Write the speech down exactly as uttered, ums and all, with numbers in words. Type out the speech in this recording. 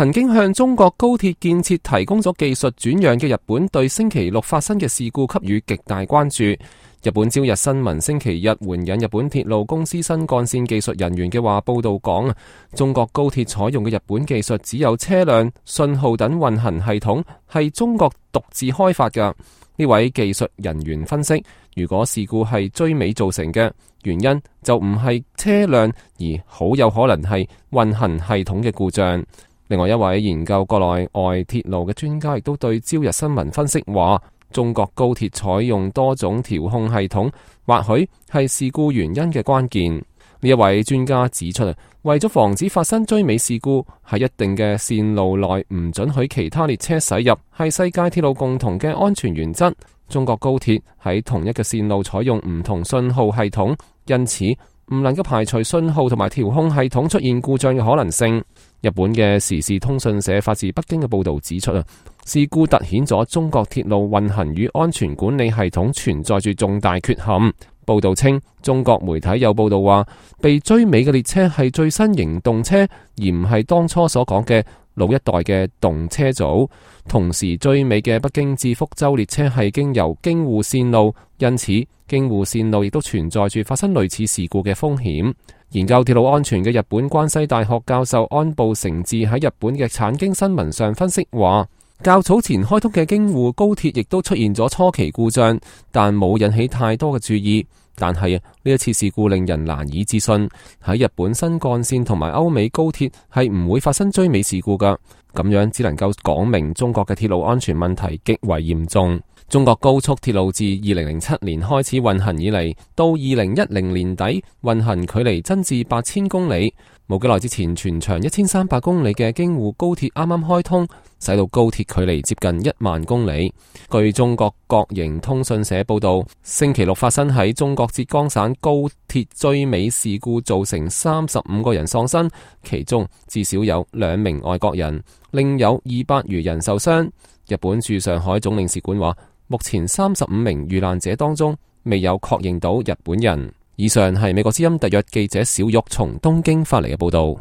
曾經向中國高鐵建設提供咗技術轉讓嘅日本，對星期六發生嘅事故給予極大關注。日本朝日新聞星期日援引日本鐵路公司新幹線技術人員嘅話報道講，中國高鐵採用嘅日本技術只有車輛、信號等運行系統係中國獨自開發嘅。呢位技術人員分析，如果事故係追尾造成嘅，原因就唔係車輛，而好有可能係運行系統嘅故障。另外一位研究國內外鐵路嘅專家亦都對朝日新聞分析話，中國高鐵採用多種調控系統，或許係事故原因嘅關鍵。呢一位專家指出，為咗防止發生追尾事故，喺一定嘅線路內唔准許其他列車駛入，係世界鐵路共同嘅安全原則。中國高鐵喺同一個線路採用唔同信號系統，因此唔能夠排除信號同埋調控系統出現故障嘅可能性。日本嘅時事通訊社發自北京嘅報道指出啊，事故凸顯咗中國鐵路運行與安全管理系統存在住重大缺陷。報道稱，中國媒體有報道話，被追尾嘅列車係最新型動車，而唔係當初所講嘅老一代嘅動車組。同時追尾嘅北京至福州列車係經由京滬線路，因此京滬線路亦都存在住發生類似事故嘅風險。研究鐵路安全嘅日本關西大學教授安部誠治喺日本嘅產經新聞上分析話，較早前開通嘅京滬高鐵亦都出現咗初期故障，但冇引起太多嘅注意。但係呢一次事故令人難以置信，喺日本新幹線同埋歐美高鐵係唔會發生追尾事故㗎。咁樣只能夠講明中國嘅鐵路安全問題極為嚴重。中國高速鐵路自二零零七年開始運行以嚟，到二零一零年底運行距離增至八千公里。冇幾耐之前，全長一千三百公里嘅京滬高鐵啱啱開通，使到高鐵距離接近一萬公里。據中國國營通訊社報道，星期六發生喺中國浙江省高鐵追尾事故，造成三十五個人喪生，其中至少有兩名外國人，另有二百餘人受傷。日本駐上海總領事館話，目前三十五名遇難者當中未有確認到日本人。以上係美國之音特約記者小玉從東京發嚟嘅報道。